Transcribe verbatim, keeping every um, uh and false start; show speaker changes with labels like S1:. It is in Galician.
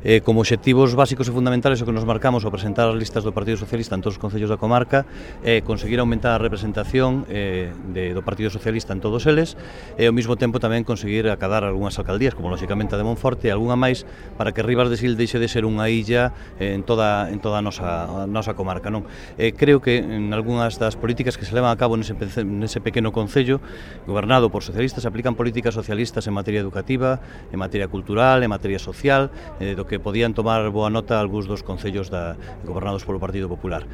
S1: Eh, como obxectivos básicos e fundamentales o que nos marcamos ao presentar as listas do Partido Socialista en todos os concellos da comarca é conseguir aumentar a representación eh, de, do Partido Socialista en todos eles e ao mesmo tempo tamén conseguir acadar algunhas alcaldías, como lóxicamente a de Monforte e algunha máis, para que Ribas de Sil deixe de ser unha illa eh, en toda, en toda a, nosa, a nosa comarca. Non? Eh, creo que en algunhas das políticas que se levan a cabo nese, nese pequeno concello gobernado por socialistas se aplican políticas socialistas en materia educativa, en materia cultural, en materia social, eh, do que que podían tomar boa nota algúns dos concellos da, gobernados polo Partido Popular.